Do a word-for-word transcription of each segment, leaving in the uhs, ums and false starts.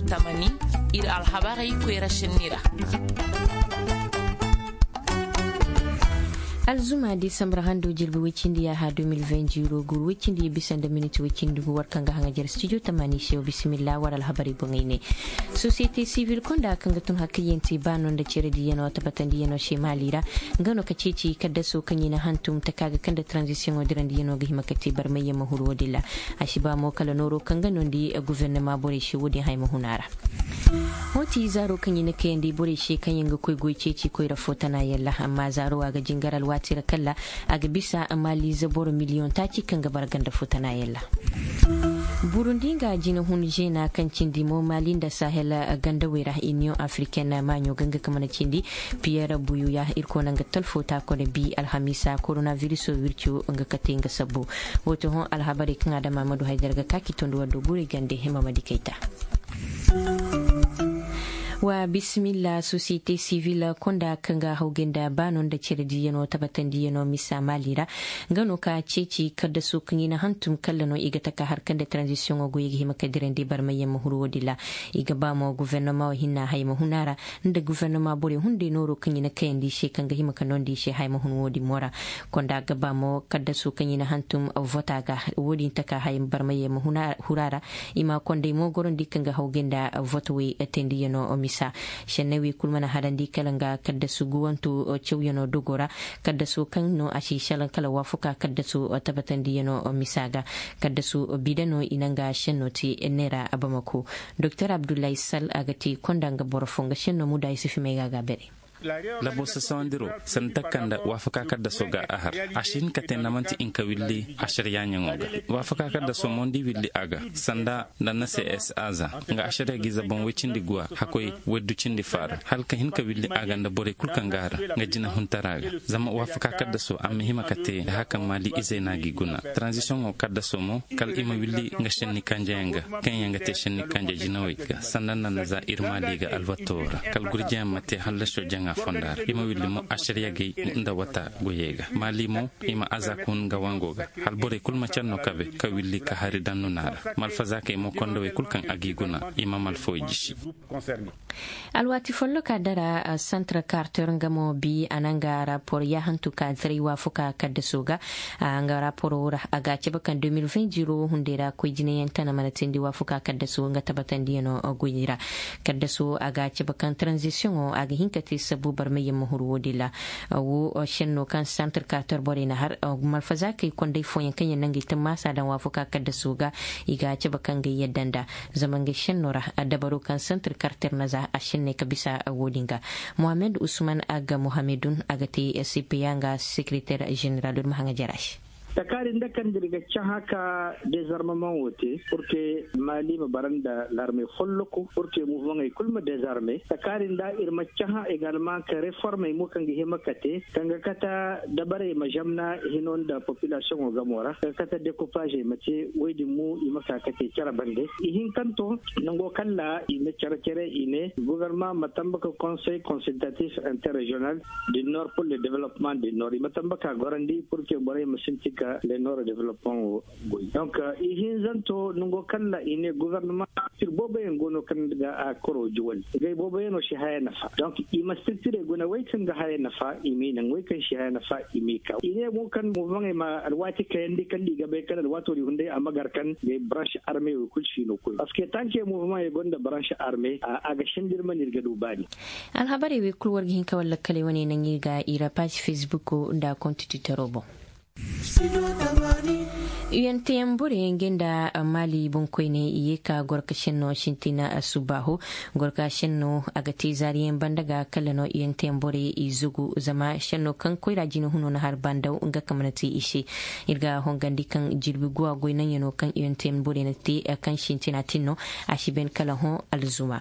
Tamani, iri alhabarey koyra sinni ra. Alzuma desambra hando jirbi woy cindi yaaha deux mille vingt jiro guuru woy cindi ya bisa nda miniti woy cindi gu war kaŋ ga haŋajer studio tamani se wa bisimilla war alhabarey boŋey ne. Sosiyete sivil konda kaŋ ga tun hakkayyanti baano nda cere diiyano tabatandiyano se maali ra, nga no ka ceeci kaddaso kaŋ i na hantum taka ga kaŋ nda tranzisiyoŋo dirandiyano ga hima ka te barmayyaŋ ma huru wo- din ra. A si ba mo kala nooro kaŋ ga nondi guvernama borey se wo- din haya ma huna ra. Hoti zaaro kaŋ i na kayandi borey se kaŋ yaŋ ga koy goy ceeci koyra fo tana yalla amma zaaro a ga jingar alwaati ra kalla a ga bisa maaliize boro miliyoŋ taaci kaŋ ga bara ganda fo tana yalla. Burundi nga jina hun zeena kaŋ cindi mo maali nda sahel gandawey ra, iniyoŋ afriken maaɲo ga nga ka mana cindi. Piyer buyuya irkoy na nga talfo taakone bi alhamiisa koronabiriso wirco nga kate nga sabbu. Wo- to hõ alhabarey kaŋ a dama ma du haydara ga ka ki tondi war do guurey gande hima ma di kayta. Wa bisimilla sosiyete sivil konda kaŋ ga hawgay nda baano nda cere diiyano tabatandiyano misa maali ra. Nga no ka ceeci kaddaso kaŋ i na hantum kalla no i ga taka harkanda taranzisiyoŋo goyey ga hima ka dirandi barmayyaŋ ma huru wo- din ra. I ga ba mo guvernama wo hinna haya ma huna ra nda guvernama borey hunday nooro kaŋ i na kayandi i se kaŋ ga hima ka nondi i se haya ma hun wo- din mo ra. Konda ga ba mo kaddaso kaŋ i na hantum vota ga wo- din taka haya barmayyaŋ ma hura ra. I ma konday mo gorandi kaŋ ga hawgay nda votawey tendiyano misa. Senney wey kulu mana harandi kala nga kaddasu guwanto cawyano dogo ra. Kaddaso kaŋ no a si salaŋ kala waafuka kaddaso tabatandiyano misa ga. Kaddasu bida no i na nga senno te neera bamako. Doktor abdullahi sal a ga te konda nga boro fo nga senno muda i si fimay ga a ga bere. Labo sasawandiro sanda takanda waafaka kaddaso ga a har. A si hin ka te na manti inka willi asariya ɲaŋo ga. Waafaka kaddaso mo nda i willi a ga sanda nda na se s a za nga asariya ga ize boŋ way cindi guwa hakoy waddu cindi faara hala ka hin ka willi a ga nda borey kulu kaŋ ga a ra nga jina huntara ga. Zama waafaka kaddaso a ma hima ka te nda haka maali izey no a ga i guna. Taranzisiyoŋo kaddaso mo kala i ma willi nga senni kanjeyaŋ ga kaŋ yaŋ ga te senni kanje jinawey ga sanda nda na za iri maali ga albatto ra. Kala gurjeyaŋ ma te hallasiyo jaŋa fonda ra i ma willi mo asariya gay nda wata goyey ga maali mo i ma aza ka hun nga wango ga. Hala borey kulu ma care no kabe ka willi ka hari daŋ nuna ra. Malfazaakey mo kondawey kulu kaŋ a g'i guna i ma malfawey jisi. Alwaati folloka dara santar karter nga mo bi a na nga rapor yaahantu ka taray waafuka kaddaso ga. Nga raporo ra a ga a cabe kaŋ deux mille vingt ziro wo hunday ra koy jinayaŋ tana mana teendi waafuka kaddaso nga tabatandiyano goyey ra. Kaddaso a ga a cabe kaŋ taranzisiyoŋo a ga hin ka te sabbu barmayyaŋ ma huru wo- din ra. Wo senno kaŋ santar karter borey na har malfazaakey konday fooyaŋ kaŋ yaŋ na ngey tammaasa daŋ waafuka kaddaso ga. I ga a cabe kaŋ ga yadda nda zama ngey senno ra dabaro kaŋ santar karter na za a senney ka bisa wo- din ga. Mohammed usman aga mohammedun a ga te cpa nga sekereter zeneral iri ma haŋa jara se. Takaari nda kaŋ da iri ga cahã ka dezarmemaŋo te purke maali ma bara nda larmey folloku purke muvaŋey kulu ma dezarme takaari nda iri ma cahã egalma ka reformey mo kaŋ ga hima ka te kaŋ ga kata dabarey ma zamna hino nda popilasiyoŋo gamo ra kaŋ ga kata dekupazey ma te woy din mo i ma ka ka te care bande. Ihinkanto nango kaŋ ra i na care care i ne guvernama ma tamba ka konsey konsiltatif interregional du nord pour le developpement du nord i ma tamba ka gorandi purke borey ma sintin ka le nord developpement wo goy. Donc ihinzanto nango kaŋ ra i ne guvernama structure booboyaŋ go no kaŋ ga a koro juwal ngey booboyaŋo si haya nafa donc i ma structurey guna wey kaŋ ga haya nafa i m'i naŋ wey kaŋ si haya nafa i m'i ka i ne mo kaŋ movaŋey ma alwaati kayandi kaŋ da i ga bay kaŋ alwaato din hunday a ma gar kaŋ ngey branche armey wo kulu si no koy parce que tanke movaŋey gonda branche armey a ga sinda iri mana iri ga du baani. Alhabarey wey kulu war ga hin ka war lakkaley wane naŋ iri ga i ra paazi facebook nda konti twittero boŋ. Unteyaŋ borey nga nda maali boŋkoyne i ye ka gorka senno sintina subbaaho. Gorka senno a ga te zaariyaŋ banda ga kala no unteyaŋ borey i zugu zama senno kaŋ koyra jina huno na har bandaw nga kaŋ mana te i se. Iri ga hongandi kaŋ jirbi guwa goy naŋyaŋo kaŋ unteyaŋ borey na te kaŋ sintina tin no a si ban kala hõ alzuma.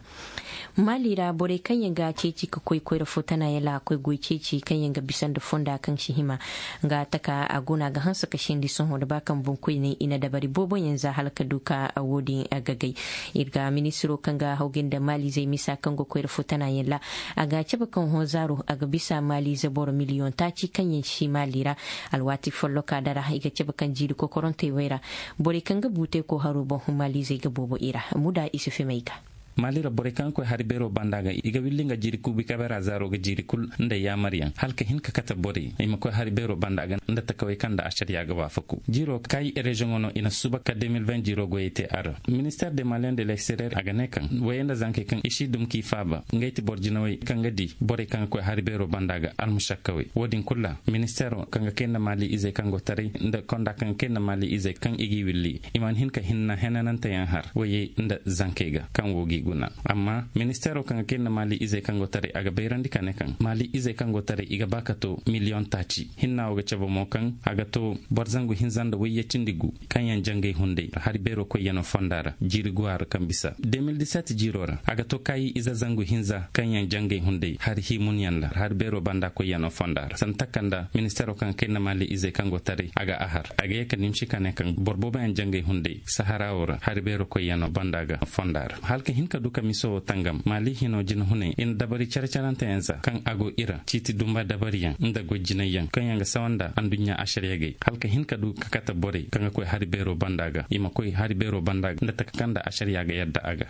Maali ra borey kaŋ yaŋ ga ceeci ka koy koyra fo tana yaŋ ra a koy goy ceeci kaŋ yaŋ ga bisa nda fonda kaŋ si hima nga taka a go no a ga hanse ka sendi sohõ nda ba kaŋ boŋkoyne i na dabari boobo yaŋ za hala ka du ka wo- din gagay. Iri ga ministiro kaŋ ga hawgay nda maaliizey misa kaŋ go koyra fo tana yaŋ ra a ga a cabe kaŋ hõ zaaro a ga bisa maaliize boro miliyoŋ taaci kaŋ yaŋ si maali ra. Alwaati folloka dara i ga cabe kaŋ jiiri kokorantey way ra borey kaŋ ga buutey ko haro boŋ maaliizey ga boobo i ra muda i si fimay ga. Maali ra borey kaŋ ga koy hari beero banda ga i ga willi nga jiiri kuubi kabeera zaaro ga jiiri kulu nda yaamaryaŋ hala ka hin ka kate borey i ma koy hari beero banda ga nda takawey kaŋ nda ašariya ga waafaku. Jiiro kaayi reziyoŋo no i na suuba ka de mil vingt jiiro goyey te a ra. Ministeer de maliyen de l'exteriyeer a ga ne kaŋ wayey nda zankey kaŋ i si dum k'i faaba ngey ti boro jinawey kaŋ ga di borey kaŋ ga koy hari beero banda ga almušakkawey wo- din kulu ra. Ministeero kaŋ ga kay nda maali izey kaŋ go taray nda konda kaŋ ga kay nda maali izey kaŋ i g'i willi i mana hin ka hinna henananteyaŋ har wayey nda zankey ga kaŋ wo g'i guna. Amma ministeero kaŋ ga kay nda maali izey kaŋ go taray a ga bayrandi ka ne kaŋ maali izey kaŋ go taray i ga ba ka to miliyoŋ taaci hinna wo ga cabe mo kaŋ a ga to boro zangu hinza nda wayye cindi gu kaŋ yaŋ jangay hunday hari beero koyyaŋo fonda ra jiiri go a ra kaŋ bisa de mil diset jiiro ra a ga to kaayi ize zangu hinza kaŋ yaŋ jangay hunday hari hiimunyaŋ ra hari beero banda koyyaŋo fonda ra sanda taka nda ministeero kaŋ ga kay nda maali izey kaŋ go taray a ga a har a ga ye ka nimsi ka ne kaŋ boro boobo yaŋ jangay hunday sahara wo ra hari beero koyyaŋo banda ga fonda ra hala ka hin ka du ka miso wo tangam maali hino jinahunay i na dabari care-caranteyaŋ za kaŋ a go i ra ciiti dumba dabariyaŋ nda goy jinayyaŋ kaŋ yaŋ ga sawa nda anduɲɲa ašariya gay hala ka hin ka du ka kate borey kaŋ ga koy hari beero banda ga i ma koy hari beero banda ga nda taka kaŋ nda ašariya ga yadda a ga.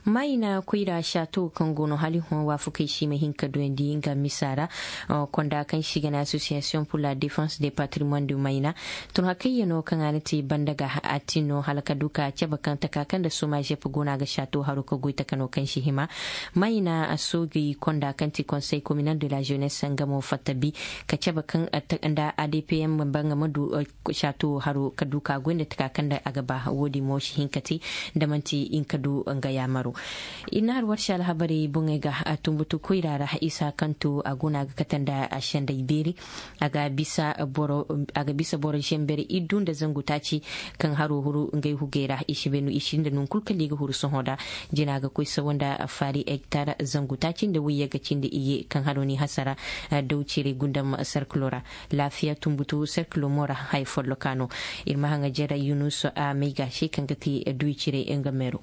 Mayna koyra sato kaŋ go no hala i hõ waafakey se i ma hin ka duyandi nga misa ra. Konda kaŋ se i ga ne association pour la défense des patrimoines du mayna. Tun hakayya no kaŋ a na te banda ga a tin no hala ka du ka cabe kaŋ taka kaŋ nda soma zep go no a ga sato haro ka goy taka no kaŋ si hima. Mayna sooji konda kaŋ ti conseil communal de la jeunesse nga mo fatta bi ka cabe kaŋ nda adpm banga ma du sato haro ka du ka goy nda taka kaŋ nda a ga ba wo- din mo si hin ka te da manti i na ka du nga yaamaro. I na har warsi alhabarey boŋey ga a tumbutu koyra ra isa kaŋ to a go no a ga kate nda a senday beeri. A ga bisa boro zember iddu nda zangu taaci kaŋ haro huru ngey hugey ra i si bay no i si nda nangu kulu kala i ga huru sohõ da jina ga koy sawa nda faari hektar zangu taaci nda wayye ga cindi iyye kaŋ haro n'i hasara. Daw cire gundam serkilo ra laafiya tumbutu serkilo mo ra haya folloka no. Iri ma haŋajer yunus a may ga se kaŋ ga te duy cire nga meero.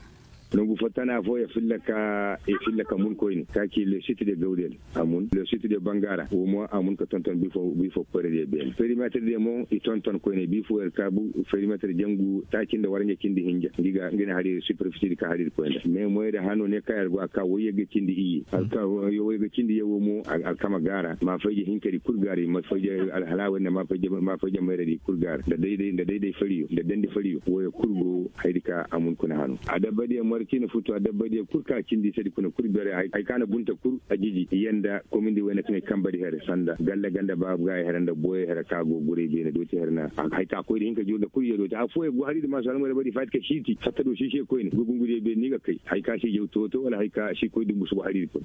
Nangu fo tana fo ya filla ka ya filla ka mun koyne ka ci le site de gawdel a mun le site de bangara wo mo a mun ka tonton bifo bifo koyre de beene perimetre de mo i tonton koyne bifo yer ka bu perimetre jangu taaci nda waranja cindi hinja ngi ga ngi na hari superficie di ka hari koyne mais moyre hano ne ka yer go a ka wayye ga cindi iye alka wayye ga cindi ye wo mo alkama gara ma fayje hinkari kul gara ma fayje alhalawa ne ma fayje ma fayje mayre di kul gara da dai dai da dai dai fariyo da dandi fariyo wo ya kul go haydi ka a mun kuna hano a dabba diya marci na futu a dabba diya kul ka cindi sadi kuna kul bere hay ka na bunta kul a jiji yanda komindi wayna kaŋ ay kamba di here sanda galla ganda babu ga here nda boye here ka go gure bene doti here na hay ka koy da hinka jurda kul ya doti a foye go hari da masu almore bari fati ka shiti fatta do shishe koyne go gungure bene ni ga kai hay ka shi jaw toto wala hay ka shi koy dumbu subu hari ko.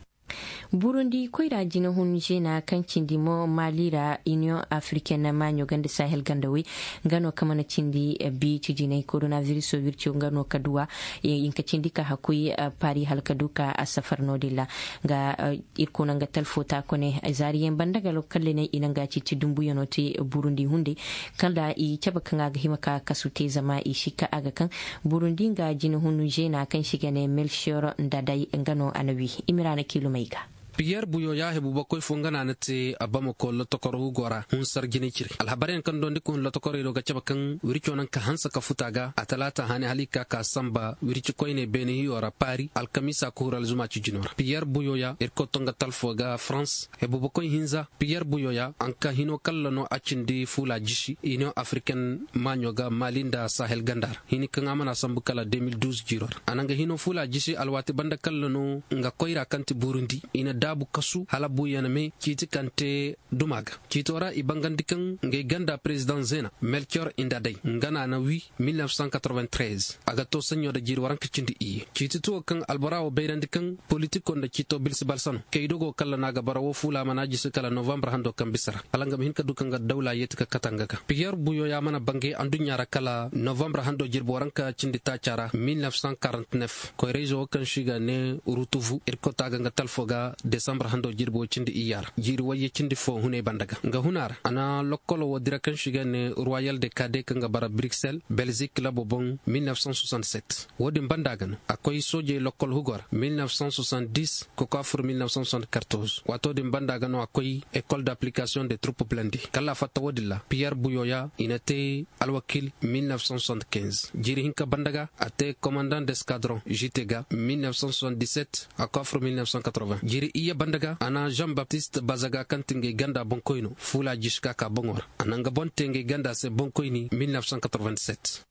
Burundi koyra jina hun zena kaŋ cindi mo mali ra union africaine maaɲo ganda sahel ganda way nga no kaŋ mana cindi bi ci jinay coronaviruso wirco nga no ka duwa hinka cindi ka hakkuy pari hala ka du ka a safar no- din ra. Nga irkoy no nga talfo ta kone zaariyaŋ banda ga lokal ne i na nga ciiti dumbuyaŋo te burundi hunday kala i cabe kaŋ a ga hima ka kasu te zama i si ka a ga kaŋ burundi nga jina hun zena kaŋ si ga ne melchior nda day nga no a na wi. Imira na kiilumey ga. Piyer buyo ya hebu bakoy fo nga no a na te a bamako lotokoro hugo ra hunsar jinay cire alhabaryaŋ kaŋ dondi ka hun lotokorey do ga cabe kaŋ wirco naŋ ka hanse ka futa ga a talaata hane hala i ka ka samba wirci koyne beene hiyo ra paari alkamiisa ka huru alzuma ci jino ra piyer buyo ya irkoy to nga talfo ga farans hebu bakoy hinza piyer buyo ya a na ka hino kalla no a cindi fuula jisi union africaine maaɲo ga mali nda sahel ganda ra hini kaŋ a mana sambu kala deux mille douze jiiro ra a na nga hino fuula jisi alwaati banda kalla no nga koyra kaŋ ti burundi i na daabu kasu hala buuyaŋ me ciiti kaŋ te duma ga ciito ra i bangandi kaŋ ngey ganda president zena melchior inda day nga no a na wi mille neuf cent quatre-vingt-treize a ga to saɲɲo nda jiiri waranka cindi iyye ciiti tuwo kaŋ albora wo bayrandi kaŋ politiko nda ciito bilsi balsano kaydo go kalla no a ga bara wo fuula mana jisi kala novembre hando kaŋ bisa ra hala nga ma hin ka du kaŋ ga dawla yeeti ka kate nga ga piyer buyo ya mana bangay anduɲɲa ra kala novembre hando jirbi waranka cindi taaca ra mille neuf cent quarante-neuf koyrayzo wo kaŋ se i ga ne rutuvu irkoy to a ga nga talfo ga Desambar hando jirbi way cindi iyya ra jiiri wayye cindi fo hunay banda ga nga huna ra a na lokkolo wo dira kaŋ se i ga ne royal de kade kaŋ ga bara bruxelles belzik labo boŋ. Mille neuf cent soixante sept wo- din banda ga no a koy soojey lokkol hugo ra mille neuf cent soixante dix. Kokoafur mille neuf cent soixante quatorze waato din banda ga no a koy école d'application de troupe blende kala a fatta wo- din ra piyer buyoya i na te alwakil. Mille neuf cent soixante quinze jiiri hinka banda ga a te commandant d'escadron jite ga mille neuf cent soixante dix sept a koy afro mille neuf cent quatre vingt jiiri iyye banda ga a na jean baptiste bazaga kaŋ ti ngey ganda boŋkoyno fuula jiska ka boŋo ra a na nga boŋ te ngey ganda se boŋkoyni. Mille neuf cent quatre vingt sept.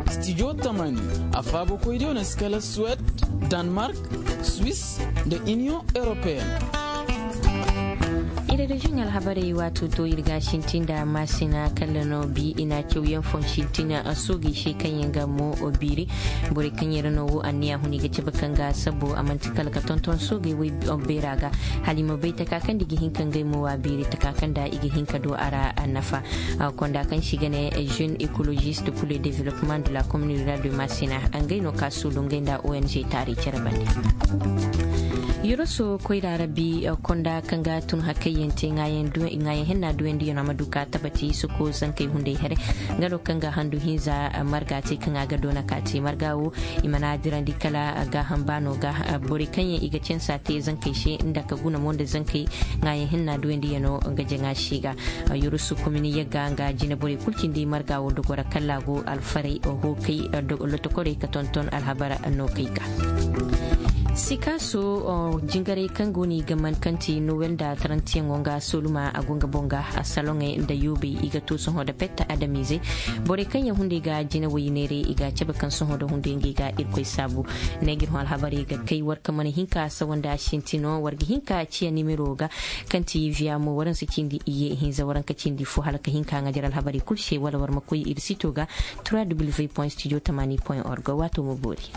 Studio tamani a faabo koydiyo no si kala suwed, danemark, swiss, nda union européenne. Iri ga jin alhabarey waato to iri ga a sintin nda maasina kala no bi i na a cawyaŋ fon sintin a soogey se kaŋ yaŋ ga mo biiri. Borey kaŋ yaŋ ra no wo anniya huni ga cabe kaŋ ga a sabbo a manti kala ga tonton soogey way beera ga hala i ma bay taka kaŋ da i ga hin ka ngey mo wa biiri taka kaŋ da i ga hin ka du a ra. Nafa konda kaŋ se i ga ne jeune écologiste pour le développement de la commune rurale de massina. Ngey no ka suulu ngey nda ong taarey care bande. Yoroso koyra rabbi konda kaŋ ga tun hakkayyaŋ te ŋaayaŋ hinna duwandi yaŋ a ma du ka tabati soko zankey hunday here. Nga no kaŋ ga handu hinza marga te kaŋ a ga doona ka te marga wo i mana dirandi kala gaaham baano ga. Borey kaŋ yaŋ i ga cansa te zankey se nda ka guna mo nda zankey ŋaayaŋ hinna duwandi yaŋ no nga jaŋa se ga. Yurusu komini yagga nga jine borey kulu cindi marga wo dogora kala go alfaray hookay lotokorey ka tonton alhabara no kay ga. Sikaaso jingarey kaŋ go no i ga man kaŋ ti nowel nda tarantiyaŋo nga soluma a go nga boŋ ga. Saloŋey nda yoobey i ga to sohõ nda petta adamiizey. Borey kaŋ yaŋ hunday ga jine way neeray i ga a cabe kaŋ sohõ nda hunday ngey ga irkoy saabu. Ne ga iri hõ alhabarey ga kay war kaŋ mana hin ka sawanda sintino war ga hin ka ciya nimero ga kaŋ ti viya mo waranse cindi iyye hinza waranka cindi fo hala ka hin ka ŋaajar alhabarey kulu se wala war ma koy iri sito ga. Trois w point studio tamani point org waato ma boori.